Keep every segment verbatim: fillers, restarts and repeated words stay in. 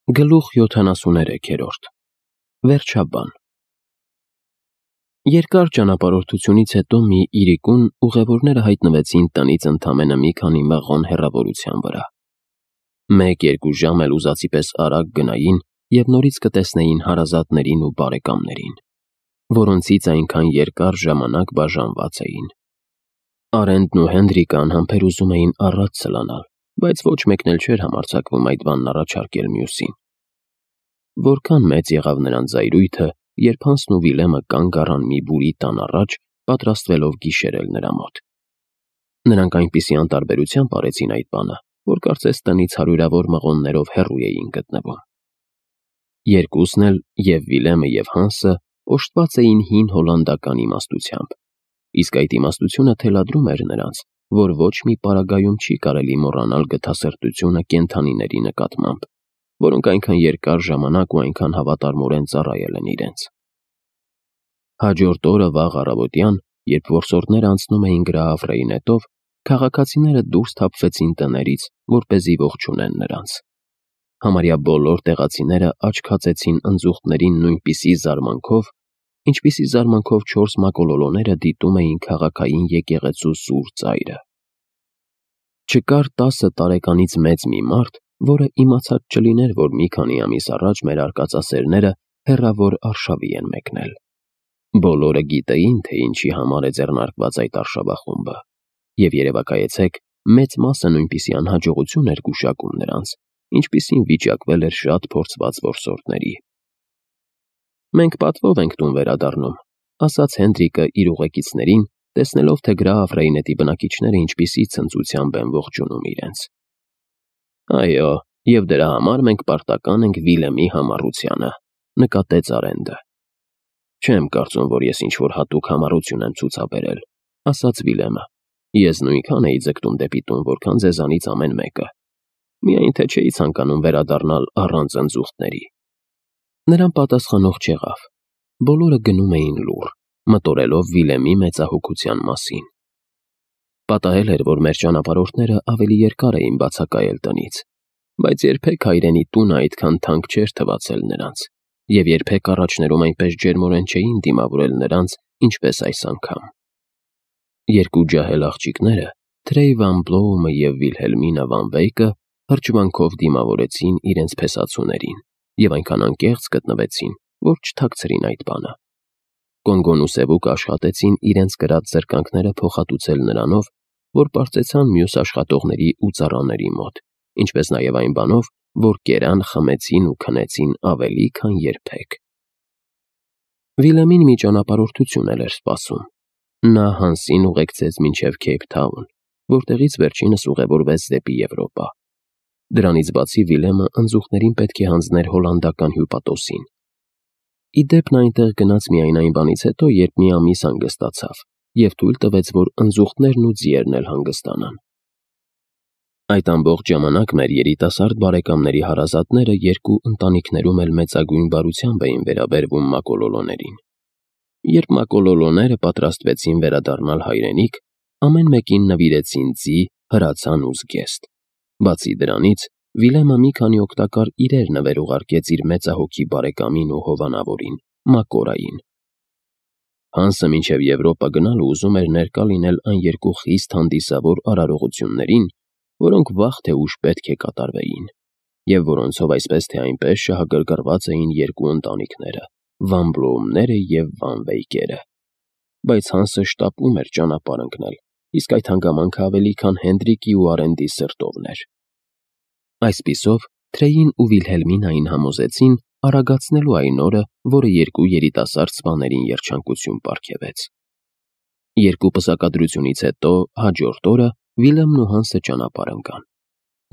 Գլուխ յոթանասուներեքերորդ Վերջաբան Երկար ճանապարհորդությունից հետո մի իրիկուն ուղևորները հայտնվեցին տնից ընդամենը մի քանի մղոն հեռավորության վրա։ Մեկ-երկու ժամ էլ ուզածի պես արագ գնային և նորից կտեսնեին հարազատներին ու բարեկամներին, որոնցից այնքան երկար ժամանակ բաժանված էին։ Արենդն ու Հենրիկը անհամբեր ուզում էին առաջ սլանալ, բայց ոչ մեկն էլ չէր համարձակվում այդ բանն առաջարկել մյուսին։ Որքան մեծ եղավ նրանց զայրույթը, երբ Հանսն ու Վիլեմը կանգ առան մի բուրի տան առաջ, պատրաստվելով գիշերել նրա մոտ։ Նրանք այնպիսի անտարբերությամբ արեցին այդ բանը, որ կարծես տնից հարյուրավոր մղոններով հեռու էին գտնվում։ Երկուսն էլ, և Վիլեմը և Հանսը, օժտված էին հին հոլանդական իմաստությամբ, իսկ այդ իմաստությունը թելադրում էր նրանց, որ ոչ մի պարագայում չի կարելի մոռանալ գթասրտությունը կենդանիների նկատմամբ, որոնք այնքան երկար ժամանակ ու այնքան հավատարմորեն ծառայել են իրենց։ Հաջորդ օրը վաղ առավոտյան, երբ որսորդները անցնում էին գրահավրեի նետով, քաղաքացիները դուրս թափվեցին տներից, որպեսզի ողջունեն նրանց։ Համարյա բոլոր տեղացիները աչքացեցին ընձուղտներին նույնպիսի զարմանքով, ինչպիսի զարմանքով չորս մակոլոլոները դիտում էին քաղաքային եկեղեցու սուր ծայրը։ Չկար տասը տարեկանից մեծ մի մարդ, որը իմացած չլիներ, որ մի քանի ամիս առաջ մեր արկածասերները հեռավոր արշավի են մեկնել։ Բոլորը գիտեին, թե ինչի համար է ձեռնարկված այդ արշավախումբը, և երևակայեցեք, մեծ մասը նույնպիսի անհաջողություն էր գուշակում նրանց, ինչպիսին վիճակվել էր շատ փորձված որսորդների։ «Մենք պատվով ենք տուն վերադառնում», ասաց Հենրիկը իր ուղեկիցներին, տեսնելով, թե գրահավրեի նետի բնակիչները ինչպիսի ցնծությամբ են ողջունում իրենց։ «Այո, և դրա համար մենք պարտական ենք Վիլեմի համառությանը», նկատեց Արենդը։ «Չեմ կարծում, որ ես ինչ-որ հատուկ համառություն եմ ցուցաբերել», ասաց Վիլեմը։ «Ես նույնքան էի ձգտում դեպի տուն, որքան ձեզանից ամեն մեկը, միայն թե չէի ցանկանում վերադառնալ առանց ընձուղտների»։ Նրան պատասխանող չեղավ։ Բոլորը գնում էին լուռ, մտորելով Վիլեմի մեծահոգության մասին։ Պատահել էր, որ մեր ճանապարհորդները ավելի երկար էին բացակայել տնից, բայց երբեք հայրենի տունը այդքան թանկ չէր թվացել նրանց, և երբեք առաջներում այնպես ջերմորեն չէին դիմավորել նրանց, ինչպես այս անգամ։ Երկու ջահել աղջիկները, Թրեյ Վան Բլոումը և Վիլհելմինա Վան Վեյկը, հրճվանքով դիմավորեցին իրենց փեսացուներին և այնքան անկեղծ գտնվեցին, որ չթաքցրին այդ բանը։ Կոնգոն ու Սևուկը աշխատեցին իրենց կրած զրկանքները փոխհատուցել նրանով, որ պարծեցան մյուս աշխատողների ու ծառաների մոտ, ինչպես նաև այն բանով, որ կերան, խմեցին ու քնեցին ավելի, քան երբեք։ Վիլեմին մի ճանապարհորդություն էլ էր սպասում։ Նա Հանսին ուղեկցեց մինչև Քեյփթաուն, որտեղից վերջինս ուղևորվեց դեպի Եվրոպա։ Դրանից բացի Վիլեմը ընձուղտներին պետք է հանձներ հոլանդական հյուպատոսին։ Ի դեպ, նա այնտեղ գնաց միայն այն բանից հետո, երբ մի ամիս հանգստացավ, և թույլ տվեց, որ ընձուղտներն ու ձիերն էլ հանգստանան։ Այդ ամբողջ ժամանակ մեր երիտասարդ բարեկամների հարազատները երկու ընտանիքներում էլ մեծագույն բարությամբ էին վերաբերվում մակոլոլոներին։ Երբ մակոլոլոները պատրաստվեցին վերադառնալ հայրենիք, ամեն մեկին նվիրեցին ձի, հրացան ու զգեստ։ Բացի դրանից, Վիլեմը մի քանի օգտակար իրեր նվեր ուղարկեց իր մեծահոգի բարեկամին ու հովանավորին՝ Մակորային։ Հանսը մինչև Եվրոպա գնալը ուզում էր ներկա լինել այն երկու խիստ հանդիսավոր արարողություններին, որոնք վաղ թե ուշ պետք է կատարվեին, և որոնցով այսպես թե այնպես շահագրգռված էին երկու ընտանիքները՝ Վան Բլոումները և Վան Վեյկերը։ Բայց Հանսը շտապում էր ճանապարհ ընկնել, իսկ այդ հանգամանքը ավելի քան Հենրիկի ու Արենդի սրտովն էր։ Այսպիսով, Թրեյին ու Վիլհելմինային համոզեցին արագացնելու այն օրը, որը երկու երիտասարդ սպաներին երջանկություն պարգևեց։ Երկու պսակադրությունից հետո, հաջորդ օրը Վիլեմն ու Հանսը ճանապարհ ընկան։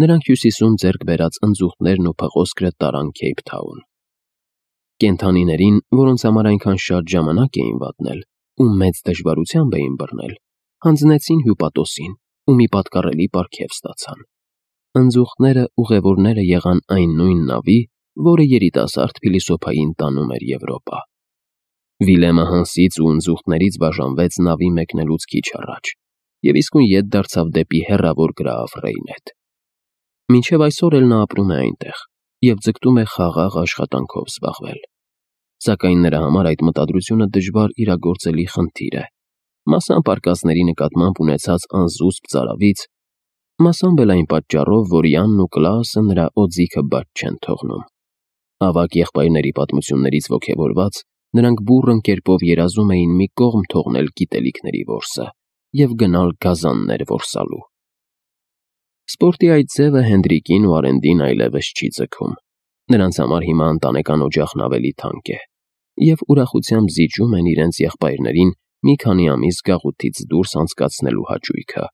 Նրանք Հյուսիսում ձեռք բերած ընձուղտներն ու փղոսկրը տարան Քեյփթաուն։ Կենդանիներին, որոնց համար այնքան շատ ժամանակ էին վատնել ու մեծ դժվարությամբ էին բռնել, հանձնեցին հյուպատոսին ու մի պատկառելի պարգև ստացան։ Ընձուղտները ուղևորները եղան այն նույն նավի, որը երիտասարդ փիլիսոփային տանում էր Եվրոպա։ Վիլեմը Հանսից ու ընձուղտներից բաժանվեց նավի մեկնելուց քիչ առաջ և իսկույն ետ դարձավ դեպի հեռավոր գրահավրեի նետ։ Մինչև այսօր էլ նա ապրում է այնտեղ, և ձգտում է խաղաղ աշխատանքով զբաղվել։ Սակայն նրա համար այդ մտադրությունը դժվար իրագործելի խնդիր է, մասամբ արկածների նկատմամբ ունեցած անզուսպ ծարավից, մասամբ էլ այն պատճառով, որ Յանն ու Կլաուսը նրա օձիքը բաց չեն թողնում։ Ավագ եղբայրների պատմություններից ոգևորված, նրանք բուռն կերպով երազում էին մի կողմ թողնել գիտելիքների որսը և գնալ գազաններ որսալու։ Սպորտի այդ ձևը Հենդրիկին ու Արենդին այլևս չի ձգում։ Նրանց համար հիմա ընտանեկան օջախն ավելի թանկ է, և ուրախությամբ զիջում են իրենց եղբայրներին մի քանի ամիս գաղութից դուրս անցկացնելու հաճույքը,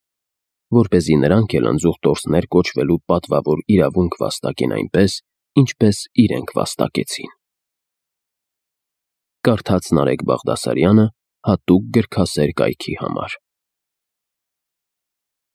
որպեսզի նրանք էլ ընձուղ տորսներ կոչվելու պատվավոր իրավունք վաստակեն այնպես, ինչպես իրենք վաստակեցին։ Կարդաց Նարեկ Բաղդասարյանը հատուկ գրքասեր կայքի համար։